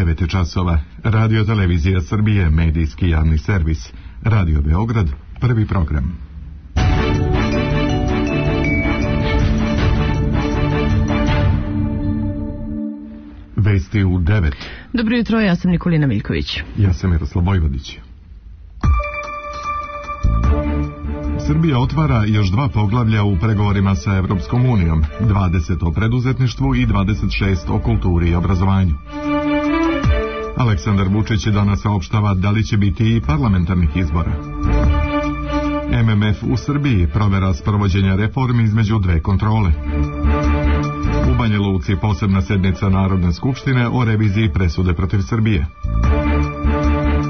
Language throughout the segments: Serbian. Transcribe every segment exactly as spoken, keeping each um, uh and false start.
devet časova. Radio Televizija Srbije, medijski javni servis. Radio Beograd, prvi program. Vesti u devet. Dobro jutro, ja sam Nikolina Miljković. Ja sam Miroslav Vojvodić. Srbija otvara još dva poglavlja u pregovorima sa Evropskom unijom, dvadeset o preduzetništvu i dvadeset šest o kulturi i obrazovanju. Aleksandar Vučić danas saopštava da li će biti i parlamentarnih izbora. M M F u Srbiji provera sprovođenja reformi između dve kontrole. U Banja Luci posebna sednica Narodne skupštine o reviziji presude protiv Srbije.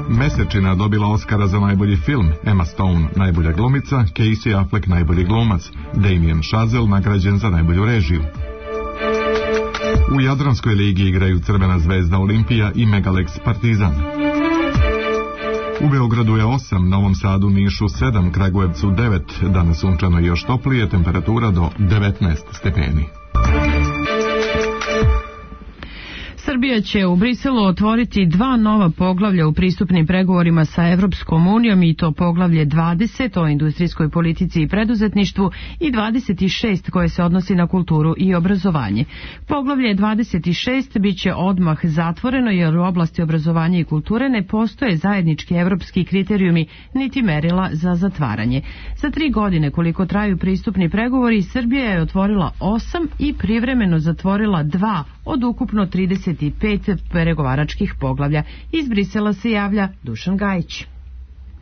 Mesečina dobila Oskara za najbolji film, Emma Stone najbolja glumica, Casey Affleck najbolji glumac, Damien Chazelle nagrađen za najbolju režiju. U Jadranskoj ligi igraju Crvena zvezda Olimpija i Megalex Partizan. U Beogradu je osam, Novom Sadu, Nišu sedam, Kragujevcu devet, danas sunčano i još toplije, temperatura do devetnaest stepeni. Srbija će u Briselu otvoriti dva nova poglavlja u pristupnim pregovorima sa Evropskom unijom, i to poglavlje dvadeset o industrijskoj politici i preduzetništvu i dvadeset šest koje se odnosi na kulturu i obrazovanje. Poglavlje dvadeset šest bit će odmah zatvoreno jer u oblasti obrazovanja i kulture ne postoje zajednički evropski kriterijumi niti merila za zatvaranje. Za tri godine koliko traju pristupni pregovori, Srbija je otvorila osam i privremeno zatvorila dva od ukupno trideset pet pregovaračkih poglavlja. Iz Brisela se javlja Dušan Gajić.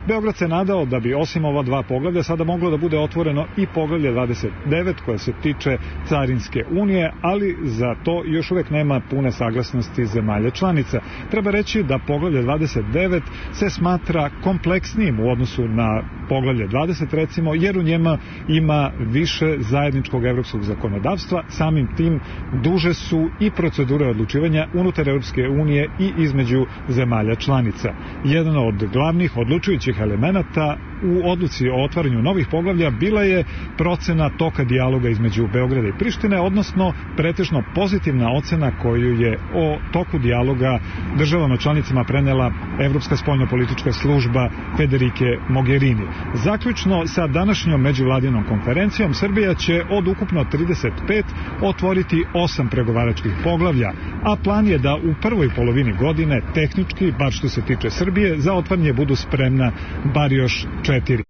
Beograd se nadao da bi osim ova dva poglavlja sada moglo da bude otvoreno i poglavlje dvadeset devet koje se tiče Carinske unije, ali za to još uvek nema pune saglasnosti zemalja članica. Treba reći da poglavlje dvadeset devet se smatra kompleksnijim u odnosu na poglavlje dvadeset recimo, jer u njema ima više zajedničkog evropskog zakonodavstva, samim tim duže su i procedure odlučivanja unutar Evropske unije i između zemalja članica. Jedan od glavnih odlučujućih elemenata u odluci o otvaranju novih poglavlja bila je procena toka dijaloga između Beograda i Prištine, odnosno pretežno pozitivna ocena koju je o toku dijaloga državama članicama prenela Evropska spoljnopolitička služba Federike Mogherini. Zaključno sa današnjom međuvladinom konferencijom, Srbija će od ukupno trideset pet otvoriti osam pregovaračkih poglavlja, a plan je da u prvoj polovini godine tehnički, bar što se tiče Srbije, za otvaranje budu spremna bar još četiri.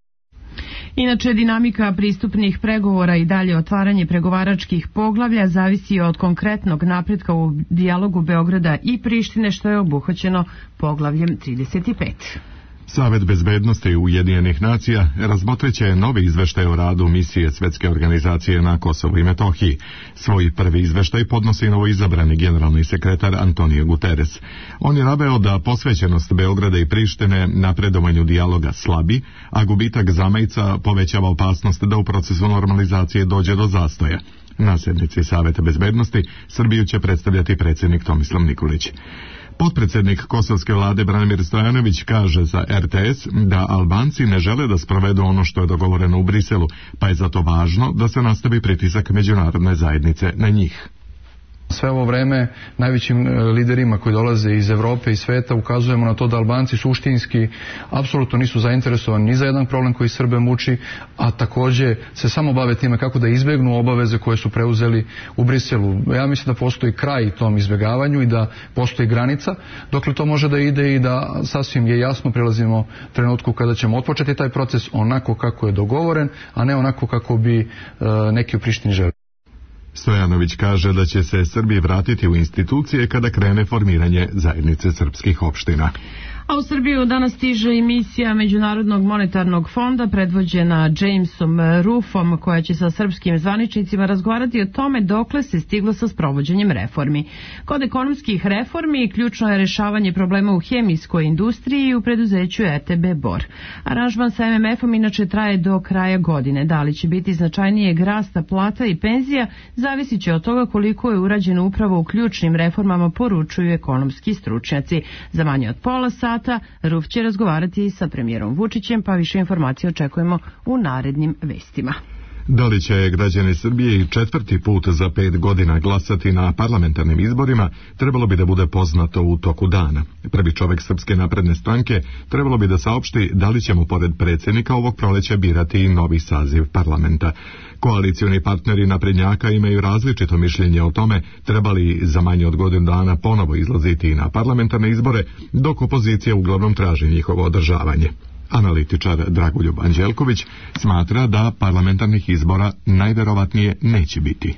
Inače, dinamika pristupnih pregovora i dalje otvaranje pregovaračkih poglavlja zavisi od konkretnog napretka u dijalogu Beograda i Prištine, što je obuhvaćeno poglavljem trideset pet. Savet bezbednosti Ujedinjenih nacija razmotreće novi izveštaj o radu misije Svetske organizacije na Kosovu i Metohiji. Svoj prvi izveštaj podnosi novoizabrani generalni sekretar Antonio Guterres. On je naveo da posvećenost Beograda i Prištine napredovanju dijaloga slabi, a gubitak zamajca povećava opasnost da u procesu normalizacije dođe do zastoja. Na sednici Saveta bezbednosti Srbiju će predstavljati predsjednik Tomislav Nikolić. Potpredsjednik kosovske vlade Branimir Stojanović kaže za R T S da Albanci ne žele da sprovedu ono što je dogovoreno u Briselu, pa je zato važno da se nastavi pritisak međunarodne zajednice na njih. Sve ovo vreme najvećim liderima koji dolaze iz Evrope i sveta ukazujemo na to da Albanci suštinski apsolutno nisu zainteresovani ni za jedan problem koji Srbe muči, a također se samo bave time kako da izbjegnu obaveze koje su preuzeli u Briselu. Ja mislim da postoji kraj tom izbjegavanju i da postoji granica, dokle to može da ide i da sasvim je jasno prelazimo trenutku kada ćemo otpočeti taj proces onako kako je dogovoren, a ne onako kako bi e, neki u Prištini želi. Stojanović kaže da će se Srbi vratiti u institucije kada krene formiranje zajednice srpskih opština. A u Srbiju danas stiže i misija Međunarodnog monetarnog fonda predvođena Jamesom Ruffom, koja će sa srpskim zvaničnicima razgovarati o tome dokle se stiglo sa sprovođenjem reformi. Kod ekonomskih reformi ključno je rešavanje problema u hemijskoj industriji i u preduzeću R T B Bor. Aranžman sa M M F-om inače traje do kraja godine. Da li će biti značajnijeg rasta plata i penzija zavisit će od toga koliko je urađeno upravo u ključnim reformama, poručuju ekonomski stručnjaci. Za manje od pola sata Ruf će razgovarati sa premijerom Vučićem, pa više informacije očekujemo u narednim vestima. Da li će građani Srbije i četvrti put za pet godina glasati na parlamentarnim izborima, trebalo bi da bude poznato u toku dana. Prvi čovjek Srpske napredne stranke trebalo bi da saopšti da li ćemo pored predsjednika ovog proleća birati i novi saziv parlamenta. Koalicioni partneri naprednjaka imaju različito mišljenje o tome treba li za manje od godinu dana ponovo izlaziti na parlamentarne izbore, dok opozicija uglavnom traži njihovo održavanje. Analitičar Dragoljub Anđelković smatra da parlamentarnih izbora najverovatnije neće biti.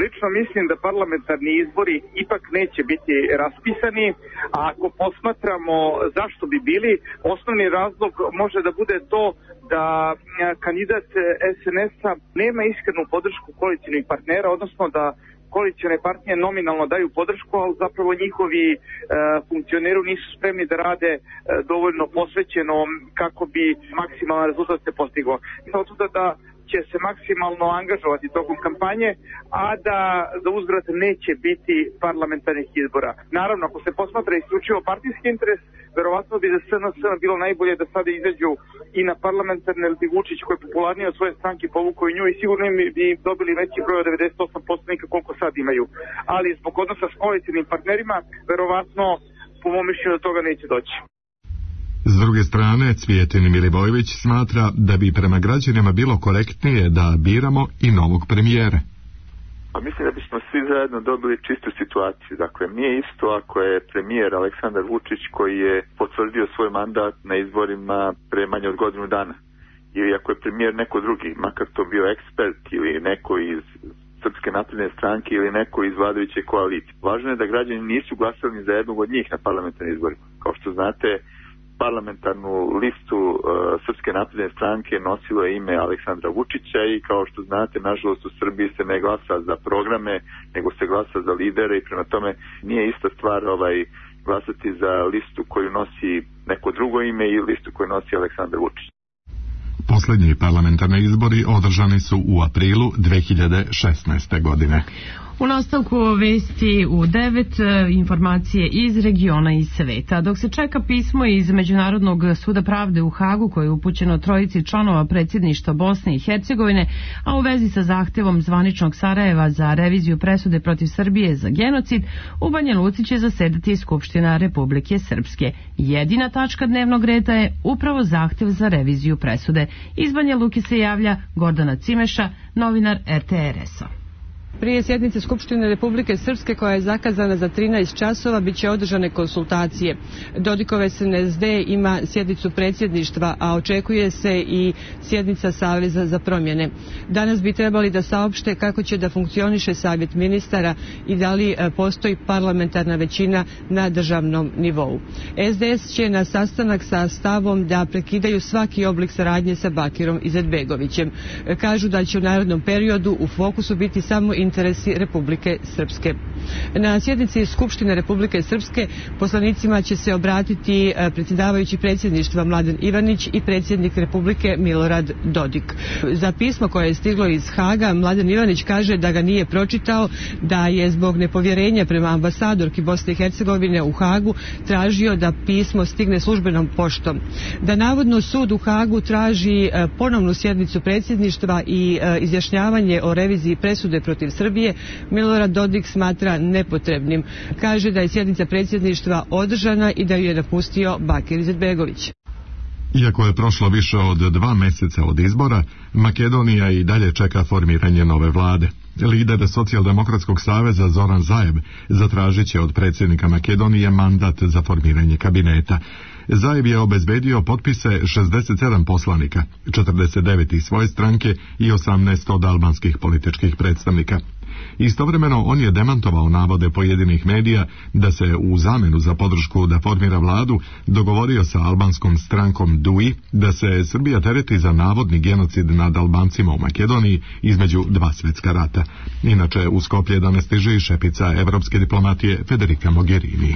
Lično mislim da parlamentarni izbori ipak neće biti raspisani, a ako posmatramo zašto bi bili, osnovni razlog može da bude to da kandidat es en es-a nema iskrenu podršku koalicionih partnera, odnosno da koalicione partije nominalno daju podršku, ali zapravo njihovi e, funkcioneri nisu spremni da rade e, dovoljno posvećeno kako bi maksimalan rezultat se postigao. Zato da će se maksimalno angažovati tokom kampanje, a da za uzvrat neće biti parlamentarnih izbora. Naravno, ako se posmatra isključivo partijski interes, verovatno bi za es en es bilo najbolje da sada izađu i na parlamentarne, ili bi Vučić koji je popularniji od svoje stranke povukao i nju i sigurno bi dobili veći broj od devedeset osam posto koliko sad imaju. Ali zbog odnosa s koalicijnim partnerima, verovatno po mom mišljenju do toga neće doći. S druge strane, Cvijetin Milivojević smatra da bi prema građanima bilo korektnije da biramo i novog premijera. Pa mislim da bismo svi zajedno dobili čistu situaciju. Dakle, nije isto ako je premijer Aleksandar Vučić koji je potvrdio svoj mandat na izborima pre manje od godinu dana. Ili ako je premijer neko drugi, makar to bio ekspert ili neko iz Srpske napredne stranke ili neko iz vladajuće koalicije. Važno je da građani nisu glasali za jednog od njih na parlamentarnim izborima. Kao što znate, parlamentarnu listu uh, Srpske napredne stranke nosilo je ime Aleksandra Vučića i kao što znate, nažalost u Srbiji se ne glasa za programe, nego se glasa za lidere i prema tome nije ista stvar ovaj, glasati za listu koju nosi neko drugo ime i listu koju nosi Aleksandar Vučić. Posljednji parlamentarni izbori održani su u aprilu dve hiljade šesnaeste. godine. U nastavku vesti u devet, informacije iz regiona i sveta. Dok se čeka pismo iz Međunarodnog suda pravde u Hagu koje je upućeno trojici članova predsjedništva Bosne i Hercegovine, a u vezi sa zahtevom zvaničnog Sarajeva za reviziju presude protiv Srbije za genocid, u Banja Luci će zasedati Skupština Republike Srpske. Jedina tačka dnevnog reda je upravo zahtev za reviziju presude. Iz Banja Luke se javlja Gordana Cimeša, novinar er te er es-a. Prije sjednice Skupštine Republike Srpske koja je zakazana za trinaest časova bit će održane konsultacije. Dodikov es en es de ima sjednicu predsjedništva, a očekuje se i sjednica Saveza za promjene. Danas bi trebali da saopšte kako će da funkcioniše savjet ministara i da li postoji parlamentarna većina na državnom nivou. es de es će na sastanak sa stavom da prekidaju svaki oblik saradnje sa Bakirom Izetbegovićem. Kažu da će u narednom periodu u fokusu biti samo interesi Republike Srpske. Na sjednici Skupštine Republike Srpske poslanicima će se obratiti predsjedavajući predsjedništva Mladen Ivanić i predsjednik Republike Milorad Dodik. Za pismo koje je stiglo iz Haga, Mladen Ivanić kaže da ga nije pročitao, da je zbog nepovjerenja prema ambasadorki Bosne i Hercegovine u Hagu tražio da pismo stigne službenom poštom. Da navodno sud u Hagu traži ponovnu sjednicu predsjedništva i izjašnjavanje o reviziji presude protiv Srbije, Milorad Dodik smatra nepotrebnim. Kaže da je sjednica predsjedništva održana i da ju je napustio Bakir Izetbegović. Iako je prošlo više od dva mjeseca od izbora, Makedonija i dalje čeka formiranje nove vlade. Lider Socijaldemokratskog saveza Zoran Zaev zatražit će od predsjednika Makedonije mandat za formiranje kabineta. Zaev je obezbedio potpise šezdeset sedam poslanika, četrdeset devet iz svoje stranke i osamnaest od albanskih političkih predstavnika. Istovremeno on je demantovao navode pojedinih medija da se u zamjenu za podršku da formira vladu dogovorio sa albanskom strankom D U I da se Srbija tereti za navodni genocid nad Albancima u Makedoniji između dva svjetska rata. Inače, u Skoplje danas stiže i šefica evropske diplomatije Federica Mogherini.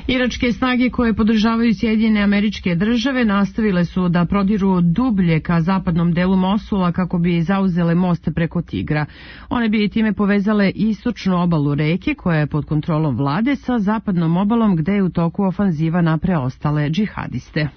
Iračke snage koje podržavaju Sjedinjene Američke Države nastavile su da prodiru dublje ka zapadnom delu Mosula kako bi zauzele most preko Tigra. One bi time povezale istočnu obalu reke koja je pod kontrolom vlade sa zapadnom obalom gde je u toku ofanziva na preostale džihadiste.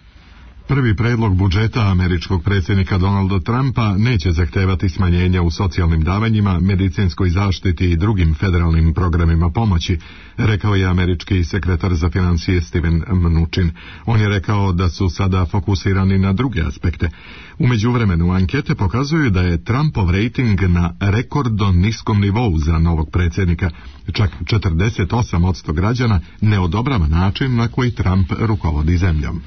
Prvi predlog budžeta američkog predsjednika Donalda Trumpa neće zahtevati smanjenja u socijalnim davanjima, medicinskoj zaštiti i drugim federalnim programima pomoći, rekao je američki sekretar za financije Steven Mnuchin. On je rekao da su sada fokusirani na druge aspekte. U međuvremenu ankete pokazuju da je Trumpov rejting na rekordno niskom nivou za novog predsjednika. Čak četrdeset osam posto građana ne odobrava način na koji Trump rukovodi zemljom.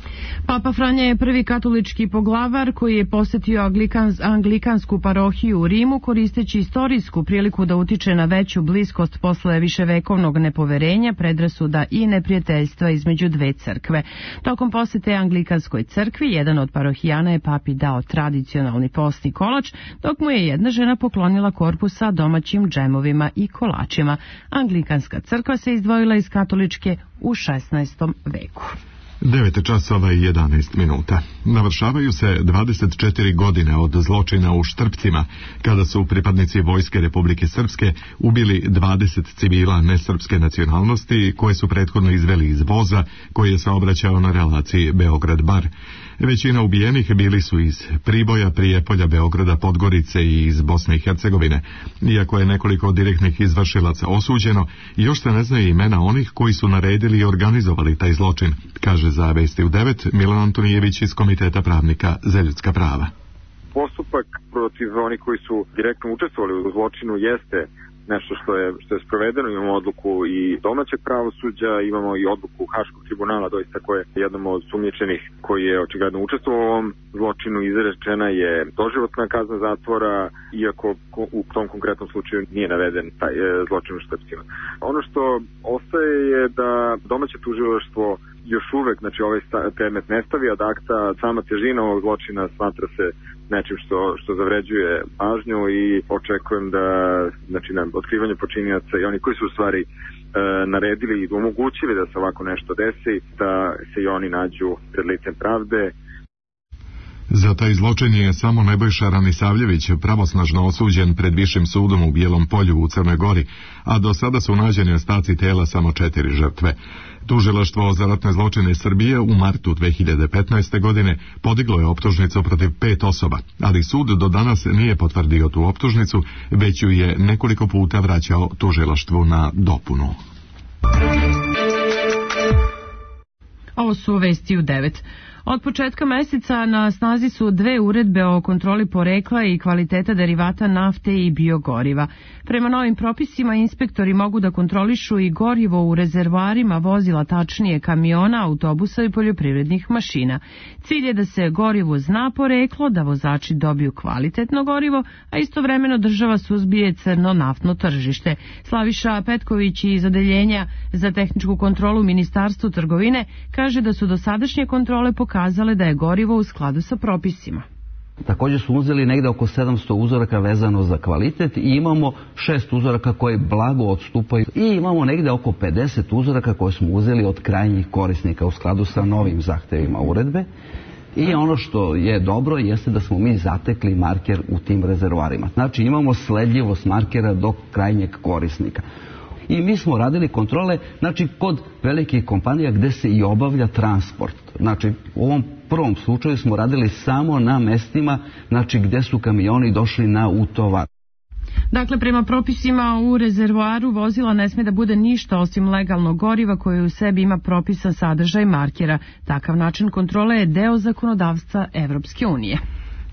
Papa Franja je prvi katolički poglavar koji je posjetio anglikans, anglikansku parohiju u Rimu koristeći istorijsku priliku da utiče na veću bliskost posle viševekovnog nepoverenja, predrasuda i neprijateljstva između dve crkve. Tokom posjete anglikanskoj crkvi, jedan od parohijana je papi dao tradicionalni postni kolač, dok mu je jedna žena poklonila korpu sa domaćim džemovima i kolačima. Anglikanska crkva se izdvojila iz katoličke u šesnaestom veku. devet časova i jedanaest minuta. Navršavaju se dvadeset četiri godine od zločina u Štrpcima, kada su pripadnici Vojske Republike Srpske ubili dvadeset civila nesrpske nacionalnosti koje su prethodno izveli iz voza koji je saobraćao na relaciji Beograd-Bar. Većina ubijenih bili su iz Priboja, Prijepolja, Beograda, Podgorice i iz Bosne i Hercegovine. Iako je nekoliko direktnih izvršilaca osuđeno, još se ne znaju imena onih koji su naredili i organizovali taj zločin, kaže za Vesti u devet Milan Antonijević iz Komiteta pravnika za ljudska prava. Postupak protiv onih koji su direktno učestvovali u zločinu jeste nešto što je, što je sprovedeno. Imamo odluku i domaćeg pravosuđa, imamo i odluku Haškog tribunala, doista koje je jednom od sumnjičenih koji je očigledno učestvovao u ovom zločinu. Izrečena je doživotna kazna zatvora, iako u tom konkretnom slučaju nije naveden taj zločin u Štrpcima. Ono što ostaje je da domaće tužilaštvo još uvek, znači ovaj predmet ne stavi ad akta, sama težina ovog zločina smatra se nečim što, što zavređuje pažnju i očekujem da, znači, na otkrivanje počinioca i oni koji su u stvari e, naredili i omogućili da se ovako nešto desi, da se i oni nađu pred licem pravde. Za taj zločin je samo Nebojša Ranisavljević pravosnažno osuđen pred Višim sudom u Bijelom Polju u Crnoj Gori, a do sada su nađeni ostaci tela samo četiri žrtve. Tužilaštvo za ratne zločine Srbije u martu dve hiljade petnaeste. godine podiglo je optužnicu protiv pet osoba, ali sud do danas nije potvrdio tu optužnicu, već ju je nekoliko puta vraćao tužilaštvu na dopunu. Ovo su Vesti u devet. Od početka meseca na snazi su dve uredbe o kontroli porekla i kvaliteta derivata nafte i biogoriva. Prema novim propisima inspektori mogu da kontrolišu i gorivo u rezervoarima vozila, tačnije kamiona, autobusa i poljoprivrednih mašina. Cilj je da se gorivo zna poreklo, da vozači dobiju kvalitetno gorivo, a istovremeno država suzbije crno naftno tržište. Slaviša Petković iz Odeljenja za tehničku kontrolu Ministarstvu trgovine kaže da su dosadašnje kontrole pokazale kazale da je gorivo u skladu sa propisima. Također su uzeli negde oko sedamsto uzoraka vezano za kvalitet i imamo šest uzoraka koji blago odstupaju i imamo negde oko pedeset uzoraka koje smo uzeli od krajnjih korisnika u skladu sa novim zahtevima uredbe. I ono što je dobro jeste da smo mi zatekli marker u tim rezervoarima. Znači imamo sledljivost markera do krajnjeg korisnika. I mi smo radili kontrole, znači, kod velikih kompanija gde se i obavlja transport. Znači, u ovom prvom slučaju smo radili samo na mestima, znači, gde su kamioni došli na utovar. Dakle, prema propisima u rezervoaru vozila ne sme da bude ništa osim legalnog goriva koje u sebi ima propisan sadržaj markera. Takav način kontrole je deo zakonodavstva Evropske unije.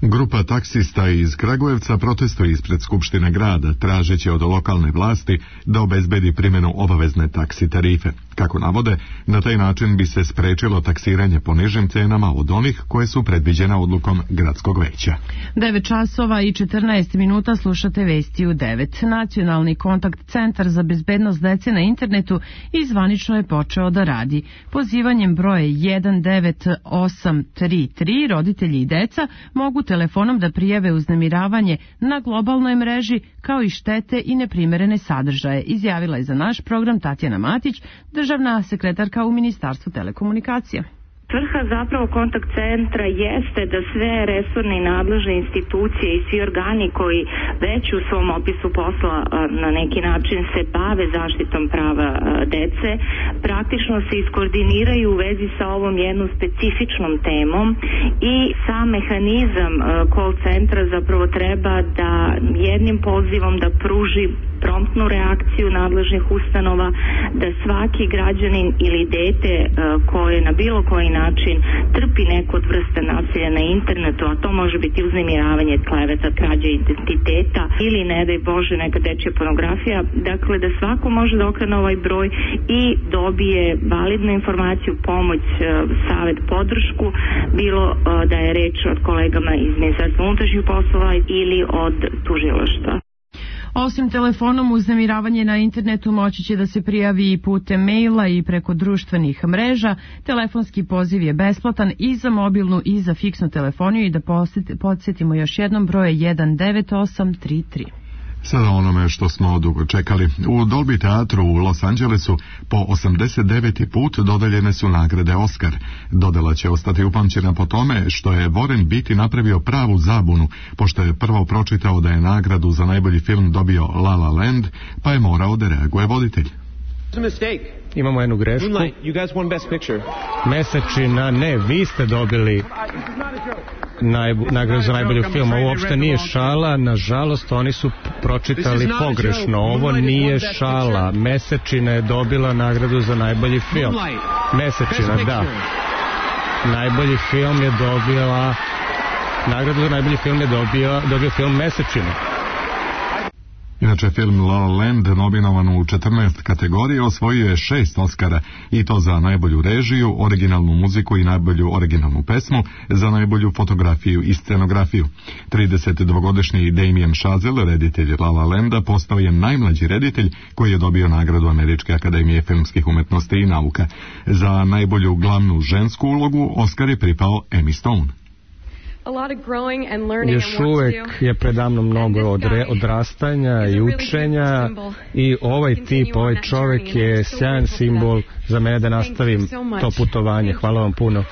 Grupa taksista iz Kragujevca protestuje ispred Skupštine grada, tražeći od lokalne vlasti da obezbedi primjenu obavezne taksi tarife. Kako navode, na taj način bi se sprečilo taksiranje po nižim cenama od onih koje su predviđene odlukom gradskog veća. devet časova i četrnaest minuta slušate Vesti u devet. Nacionalni kontakt centar za bezbednost dece na internetu izvanično je počeo da radi. Pozivanjem broje jedan devet osam tri tri roditelji i deca mogu telefonom da prijave uznemiravanje na globalnoj mreži kao i štete i neprimerene sadržaje, izjavila je za naš program Tatjana Matić, državna sekretarka u Ministarstvu telekomunikacija. Svrha zapravo kontakt centra jeste da sve resorne i nadležne institucije i svi organi koji već u svom opisu posla na neki način se bave zaštitom prava dece, praktično se iskoordiniraju u vezi sa ovom jednom specifičnom temom i sam mehanizam call centra zapravo treba da jednim pozivom da pruži promptnu reakciju nadležnih ustanova, da svaki građanin ili dete koje na bilo koji način trpi neku od vrste nasilja na internetu, a to može biti uznemiravanje, kleveta, krađa identiteta ili, ne daj Bože, neka dečja pornografija, dakle da svako može da okrene ovaj broj i dobije validnu informaciju, pomoć, savet, podršku, bilo da je reč od kolegama iz Ministarstva unutrašnjih poslova ili od tužilaštva. Osim telefonom, uznemiravanje na internetu moći će da se prijavi i putem maila i preko društvenih mreža. Telefonski poziv je besplatan i za mobilnu i za fiksnu telefoniju i da podsjetimo još jednom broje jedan devet osam tri tri. Sada onome što smo dugo čekali. U Dolby teatru u Los Angelesu po osamdeset deveti put dodeljene su nagrade Oscar. Dodela će ostati upamćena po tome što je Warren Beatty napravio pravu zabunu, pošto je prvo pročitao da je nagradu za najbolji film dobio La La Land, pa je morao da reaguje voditelj. Imamo jednu grešku. Mesečina, ne, vi ste dobili najbu, nagradu za najbolji film. Ovo uopšte nije šala, nažalost oni su pročitali pogrešno. Ovo nije šala. Mesečina je dobila nagradu za najbolji film. Mesečina, da. Najbolji film je dobila nagradu za najbolji film je dobio, dobio film Mesečina. Inače, film La La Land, nominovan u četrnaest kategorija, osvojio je šest Oscara, i to za najbolju režiju, originalnu muziku i najbolju originalnu pesmu, za najbolju fotografiju i scenografiju. tridesetdvogodišnji Damien Chazelle, reditelj La La Landa, postao je najmlađi reditelj koji je dobio nagradu Američke akademije filmskih umetnosti i nauka. Za najbolju glavnu žensku ulogu Oscar je pripao Emmy Stone. Još uvek je predamno mnogo odre, odrastanja i učenja i ovaj tip, ovaj čovek je sjajan simbol za mene da nastavim to putovanje. Hvala vam puno.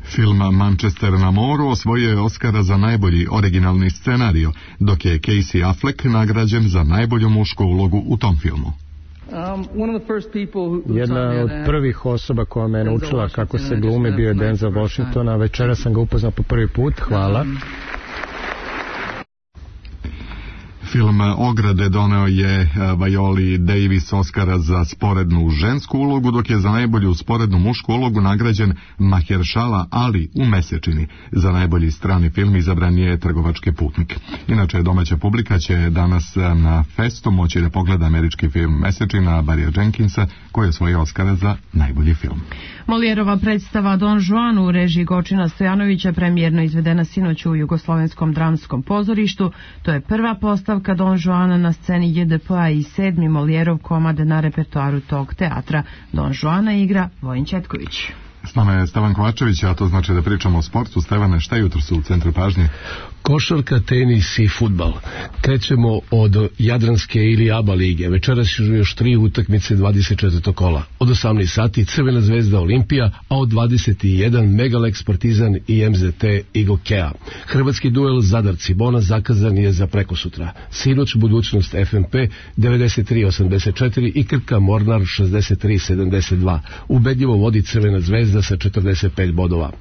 Film Manchester na moru osvojio je Oscara za najbolji originalni scenario, dok je Casey Affleck nagrađen za najbolju mušku ulogu u tom filmu. Jedna od prvih osoba koja me je naučila kako se glumi bio je Denzel Washington, a večera sam ga upoznao po prvi put. Hvala. Film Ograde doneo je Violi Davis Oscara za sporednu žensku ulogu, dok je za najbolju sporednu mušku ulogu nagrađen Mahershala Ali u Mesečini. Za najbolji strani film izabran je Trgovački putnik. Inače, domaća publika će danas na festu moći da pogleda američki film Mesečina Barrya Jenkinsa, koji je osvojio Oscara za najbolji film. Molijerova predstava Don Juan u režiji Gočina Stojanovića premijerno izvedena sinoć u Jugoslovenskom dramskom pozorištu. To je prva postavka Don Juana na sceni J D P-a i sedmi Molijerov komad na repertoaru tog teatra. Don Juana igra Vojin Četković. S nama je Stevan Kovačević, a to znači da pričamo o sportu. Stevane, šta jutro su u centru pažnje? Košarka, tenis i fudbal. Krećemo od Jadranske ili ABA lige. Večeras su još tri utakmice dvadeset četvrtog kola. Od osamnaest sati Crvena zvezda Olimpija, a od dvadeset jedan Megalex Partizan i M Z T Igokea. Hrvatski duel Zadar Cibona zakazan je za prekosutra. Sinoć budućnost F M P devedeset tri osamdeset četiri i Krka Mornar šezdeset tri sedamdeset dva. Ubedljivo vodi Crvena zvezda sa četrdeset pet bodova.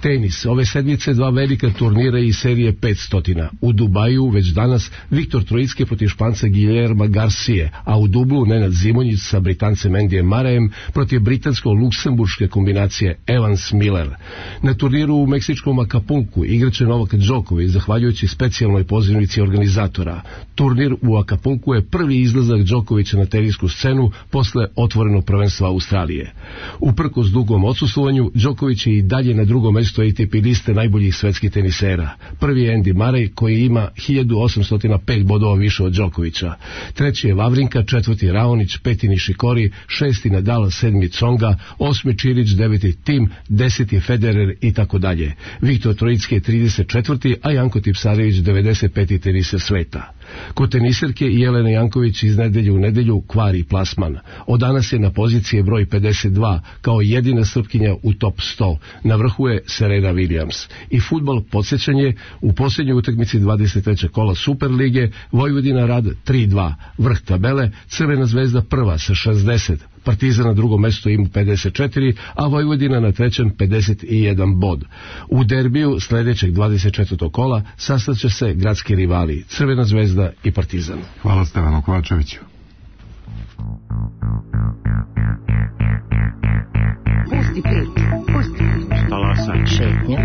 Tenis. Ove sedmice dva velika turnira i serije petstotina. U Dubaju već danas Viktor Trojicki protiv Španca Guillerma Garcije, a u Dublu Nenad Zimonjić sa Britancem Andyjem Murrayem protiv britansko-luksemburške kombinacije Evans Miller. Na turniru u meksičkom Acapulcu igraće Novak Đoković zahvaljujući specijalnoj pozivnici organizatora. Turnir u Acapulcu je prvi izlazak Đokovića na tenisku scenu posle otvorenog prvenstva Australije. Uprkos dugom odsustvovanju, Đoković je i dalje na drugom mestu A T P liste najboljih svetskih tenisera. Prvi je Andy Murray koji ima hiljadu osamsto pet bodova više od Đokovića. Treći je Vavrinka, četvrti Raonić, peti Nishikori, šesti Nadal, sedmi Tsonga, osmi Čirić, deveti Tim, deseti Federer i tako dalje. Viktor Trojicki je trideset četvrti, a Janko Tipsarević devedeset peti teniser sveta. Kod teniserke Jelene Janković iz nedelje u nedelju kvari plasman. Od danas je na pozicije broj pedeset dva kao jedina Srpkinja u top sto. Na vrhu je Serena Williams. I fudbal, podsjećanje, u posljednjoj utakmici dvadeset trećeg kola Superlige Vojvodina Rad tri dva. Vrh tabele, Crvena zvezda prva sa šezdeset. Partizan na drugom mjestu ima pedeset četiri, a Vojvodina na trećem pedeset jedan bod. U derbiju sljedećeg dvadeset četvrtog kola sastaće se gradski rivali Crvena zvezda i Partizan. Hvala Stevanu Kovačeviću. Pusti priču, pusti priču. Talasaj. Šetnja.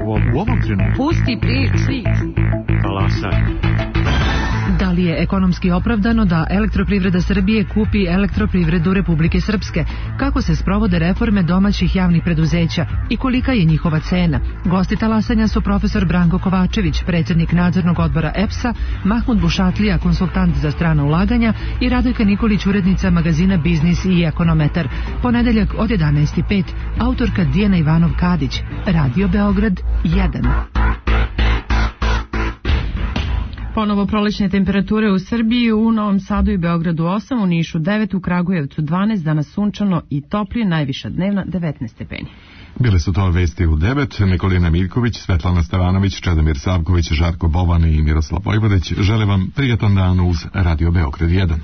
U ovom, u ovom trenutku. Pusti priču. Talasaj. Da li je ekonomski opravdano da Elektroprivreda Srbije kupi Elektroprivredu Republike Srpske? Kako se sprovode reforme domaćih javnih preduzeća i kolika je njihova cena? Gosti talasanja su profesor Branko Kovačević, predsjednik nadzornog odbora E P S-a, Mahmud Bušatlija, konsultant za strana ulaganja i Radojka Nikolić, urednica magazina Biznis i Ekonometar. Ponedeljak od jedanaest i pet, autorka Dijana Ivanov-Kadić, Radio Beograd jedan. Ponovo prolećne temperature u Srbiji, u Novom Sadu i Beogradu osam, u Nišu devet, u Kragujevcu dvanaest, danas sunčano i toplije, najviša dnevna devetnaest stepeni. Bile su to vesti u devet. Nikolina Miljković, Svetlana Stevanović, Čedomir Savković, Žarko Bovan i Miroslav Vojvodić žele vam prijatan dan uz Radio Beograd jedan.